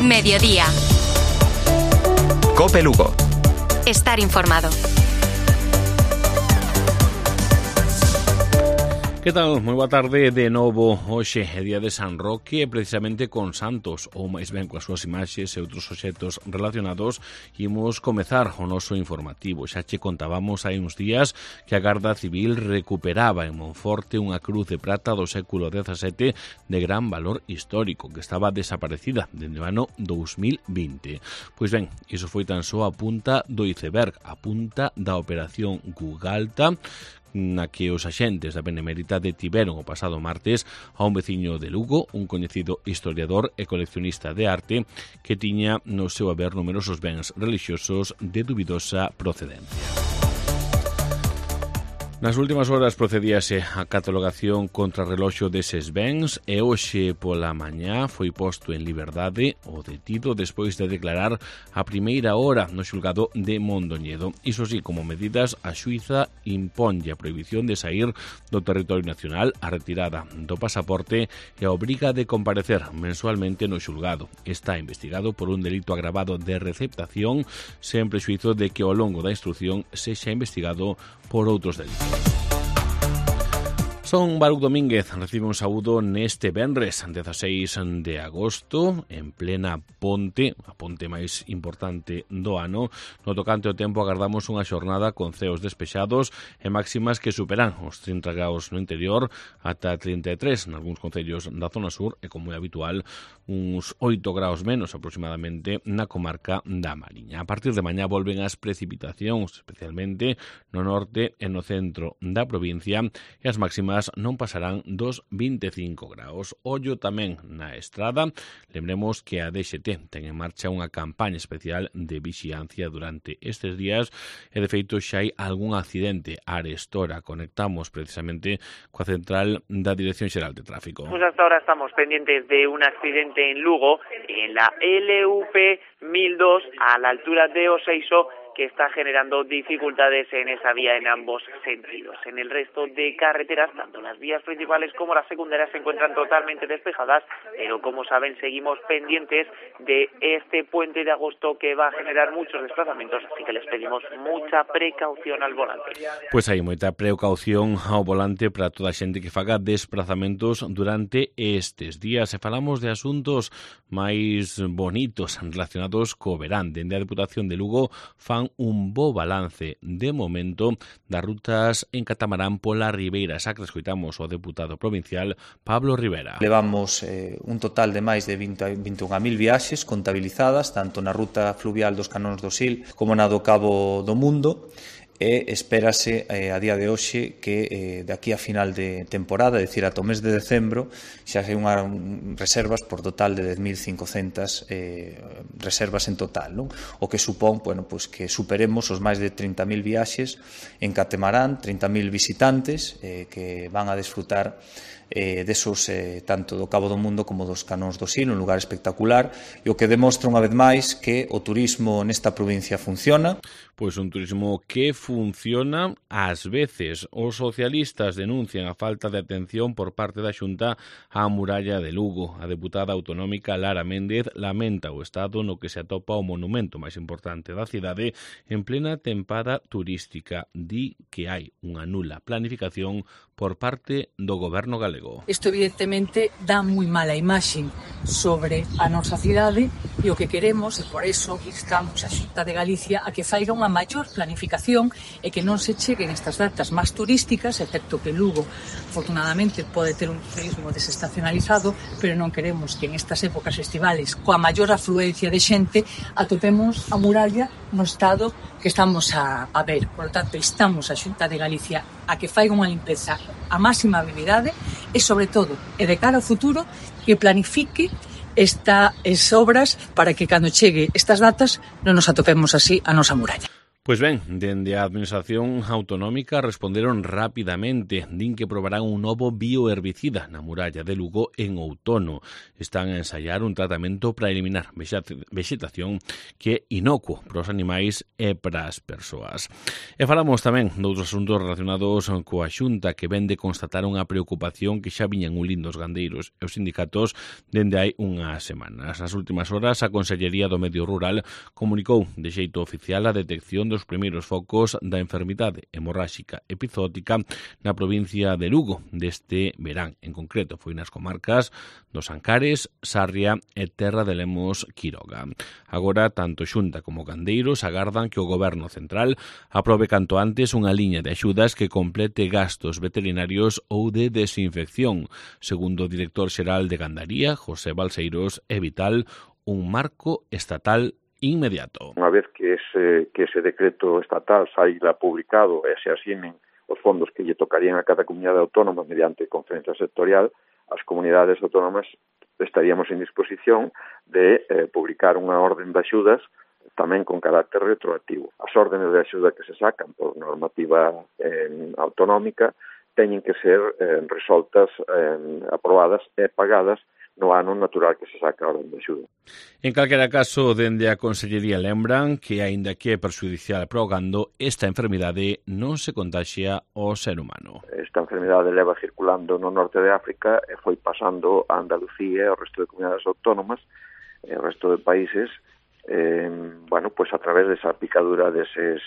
Mediodía. COPE Lugo. Estar informado. Que tal? Moi boa tarde de novo. Hoxe é día de San Roque, precisamente con santos, ou máis ben coas súas imaxes e outros obxectos relacionados. Imos comezar o noso informativo. Xa che contábamos hai uns días que a Garda Civil recuperaba en Monforte unha cruz de prata do século XVII de gran valor histórico, que estaba desaparecida dende o ano 2020. Pois ben, iso foi tan só a punta do iceberg, a punta da operación Gugalta, na que os axentes da Benemérita detiveron o pasado martes a un veciño de Lugo, un coñecido historiador e coleccionista de arte que tiña no seu haber numerosos bens relixiosos de dubidosa procedencia. Nas últimas horas procedíase a catalogación contra reloxo deses bens e hoxe pola mañá foi posto en liberdade o detido despois de declarar a primeira hora no xulgado de Mondoñedo. Iso sí, como medidas, a xuíza imponlle a prohibición de sair do territorio nacional, a retirada do pasaporte e a obriga de comparecer mensualmente no xulgado. Está investigado por un delito agravado de receptación, sen prexuízo de que ao longo da instrucción sexa investigado por outros delitos. Son Baruch Domínguez recibe un saúdo neste venres 16 de agosto en plena ponte, a ponte máis importante do ano. No tocante ao tempo agardamos unha xornada con ceos despexados e máximas que superan os 30 graus no interior ata 33 nalgúns concellos da zona sur e, como é habitual, uns 8 graus menos aproximadamente na comarca da Mariña. A partir de mañá volven as precipitacións, especialmente no norte e no centro da provincia, e as máximas non pasarán dos 25 graus. Ollo tamén na estrada. Lembremos que a DXT ten en marcha unha campaña especial de vixiancia durante estes días e, de feito, xa hai algún accidente. Arestora conectamos precisamente coa central da Dirección Xeral de Tráfico. Pues hasta ahora estamos pendientes de un accidente en Lugo, en la LUP 1002, a la altura de Oseiso, que está generando dificultades en esa vía en ambos sentidos. En el resto de carreteras, tanto las vías principales como las secundarias se encuentran totalmente despejadas, pero como saben, seguimos pendientes de este puente de agosto que va a generar muchos desplazamientos, así que les pedimos mucha precaución al volante. Pois hai moita precaución ao volante para toda a xente que faga desplazamentos durante estes días. E falamos de asuntos máis bonitos relacionados co verán. Dende a Deputación de Lugo fan un bo balance de momento das rutas en catamarán pola Ribeira Sacra. Escoitamos o deputado provincial Pablo Rivera. Levamos un total de máis de 21.000 viaxes contabilizadas, tanto na ruta fluvial dos Canóns do Sil como na do Cabo do Mundo, e espérase a día de hoxe que de aquí a final de temporada, é dicir, ata o mes de decembro, xa hai unhas reservas por total de 10.500 reservas en total, non? O que supón, bueno, pues que superemos os máis de 30.000 viaxes en catamarán, 30.000 visitantes que van a desfrutar desos tanto do Cabo do Mundo como dos Canóns do Sil, un lugar espectacular, e o que demostra unha vez máis que o turismo nesta provincia funciona. Pois un turismo que funciona. Ás veces os socialistas denuncian a falta de atención por parte da Xunta á muralla de Lugo. A deputada autonómica Lara Méndez lamenta o estado no que se atopa o monumento máis importante da cidade en plena tempada turística. Di que hai unha nula planificación por parte do goberno galego. Isto evidentemente dá moi mala imaxe sobre a nosa cidade e o que queremos, e por eso instamos a Xunta de Galicia a que faiga unha maior planificación e que non se cheguen estas datas máis turísticas, excepto que Lugo, afortunadamente, pode ter un turismo desestacionalizado, pero non queremos que en estas épocas estivales, coa maior afluencia de xente, atopemos a muralla no estado que estamos a ver. Por lo tanto, instamos a Xunta de Galicia a que faiga unha limpeza a máxima habilidade e, sobre todo, e de cara ao futuro, que planifique estas obras para que cando chegue estas datas non nos atopemos así a nosa muralla. Pois ben, dende a Administración Autonómica responderon rapidamente. Din que probarán un novo bioherbicida na muralla de Lugo en outono. Están a ensaiar un tratamento para eliminar vexetación que é inocuo para os animais e para as persoas. E falamos tamén doutros asuntos relacionados coa Xunta, que ven de constatar unha preocupación que xa viñan unindo os gandeiros e os sindicatos dende hai unhas semanas. Nas últimas horas, a Consellería do Medio Rural comunicou de xeito oficial a detección dos primeiros focos da enfermidade hemorráxica epizótica na provincia de Lugo deste verán. En concreto, foi nas comarcas dos Ancares, Sarria e Terra de Lemos, Quiroga. Agora, tanto Xunta como gandeiros agardan que o Goberno Central aprobe canto antes unha liña de axudas que complete gastos veterinarios ou de desinfección. Segundo o director xeral de Gandaría, José Balseiros, é vital un marco estatal inmediato. Unha vez que ese decreto estatal saíra publicado e se asinen os fondos que lle tocarían a cada comunidade autónoma mediante conferencia sectorial, as comunidades autónomas estaríamos en disposición de publicar unha orden de axudas tamén con carácter retroactivo. As órdenes de axuda que se sacan por normativa autonómica teñen que ser resoltas, aprobadas e pagadas no ano natural que se saca a orden de axuda. En calquera caso, dende a Consellería lembran que, aínda que é perxudicial para o gando, esta enfermidade non se contaxia ao ser humano. Esta enfermidade leva circulando no norte de África e foi pasando a Andalucía e ao resto de comunidades autónomas e ao resto de países pues a través desa picadura deses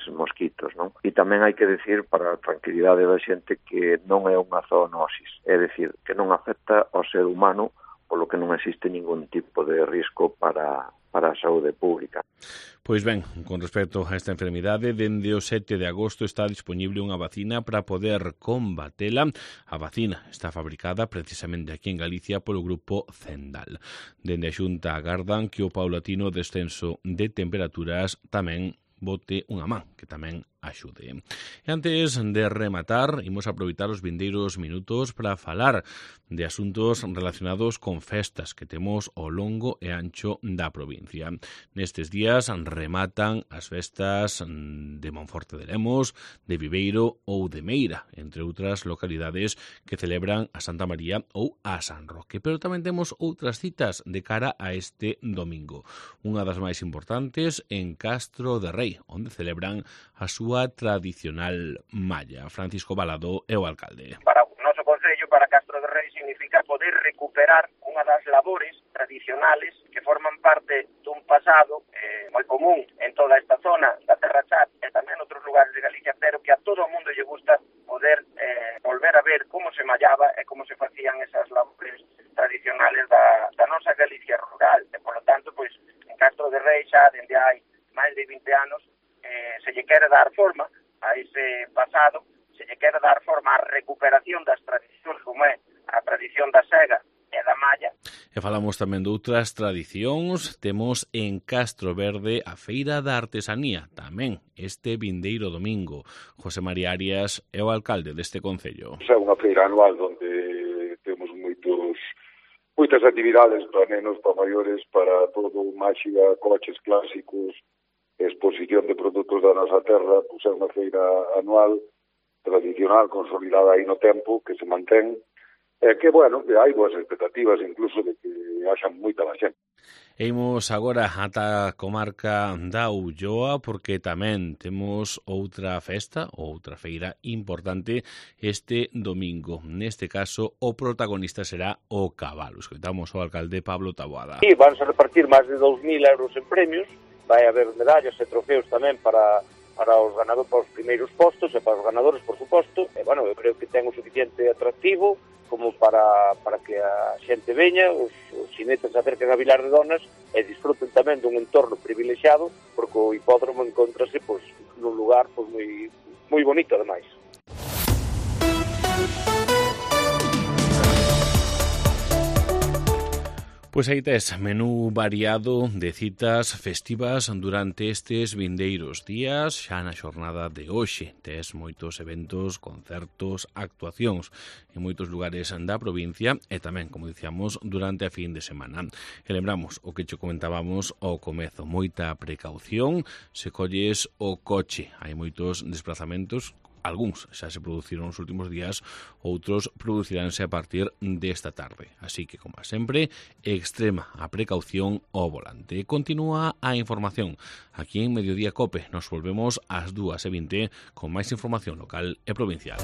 mosquitos, non? E tamén hai que decir, para a tranquilidade da xente, que non é unha zoonosis, é dicir, que non afecta ao ser humano, polo que non existe ningún tipo de risco para a saúde pública. Pois ben, con respecto a esta enfermidade, dende o 7 de agosto está disponible unha vacina para poder combatela. A vacina está fabricada precisamente aquí en Galicia polo grupo Zendal. Dende a Xunta agardan que o paulatino descenso de temperaturas tamén bote unha man, que tamén axude. E antes de rematar, imos aproveitar os vindeiros minutos para falar de asuntos relacionados con festas que temos ao longo e ancho da provincia. Nestes días rematan as festas de Monforte de Lemos, de Viveiro ou de Meira, entre outras localidades que celebran a Santa María ou a San Roque. Pero tamén temos outras citas de cara a este domingo. Unha das máis importantes en Castro de Rei, onde celebran a súa tradicional malla. Francisco Balado é o alcalde. Para o noso concello, para Castro de Rei, significa poder recuperar unha das labores tradicionales que forman parte dun pasado moi común en toda esta zona da Terra Chá e tamén en outros lugares de Galicia, pero que a todo o mundo lle gusta poder volver a ver como se mallaba e como se facían esas labores tradicionales da nosa Galicia rural. E, por lo tanto, pois, en Castro de Rei xa dende hai máis de 20 anos se lle quere dar forma a ese pasado, se lle quere dar forma á recuperación das tradicións como é a tradición da sega e da malla. E falamos tamén de outras tradicións. Temos en Castro Verde a Feira da Artesanía, tamén este vindeiro domingo. José María Arias é o alcalde deste concello. É unha feira anual onde temos moitas actividades para nenos, para maiores, para todo, máxica, coches clásicos, exposición de produtos da nosa terra. Pois é unha feira anual, tradicional, consolidada aí no tempo, que se mantén, que, bueno, que hai boas expectativas incluso de que haxa moita da xente. E imos agora ata a comarca da Ulloa, porque tamén temos outra festa, outra feira importante este domingo. Neste caso, o protagonista será o cabalo. Escoitamos ao alcalde Pablo Taboada. Sí, van a repartir máis de 2.000 euros en premios, vai haber medallas e trofeos tamén para os ganadores, para os primeiros postos e para os ganadores, por suposto. E, bueno, eu creo que ten o suficiente atractivo como para que a xente veña, os xinetes se acerquen a Vilar de Donas e disfruten tamén dun entorno privilexiado, porque o hipódromo encontrase pois, nun lugar pois, moi bonito, ademais. Pois aí tes menú variado de citas festivas durante estes vindeiros días, xa na xornada de hoxe. Tes moitos eventos, concertos, actuacións en moitos lugares da provincia e tamén, como dicíamos, durante a fin de semana. E lembramos o que che comentábamos ao comezo, moita precaución se colles o coche. Hai moitos desplazamentos, algúns xa se produciron nos últimos días, outros produciránse a partir desta tarde. Así que, como sempre, extrema a precaución ao volante. Continúa a información. Aquí en Mediodía Cope nos volvemos ás 2:20 con máis información local e provincial.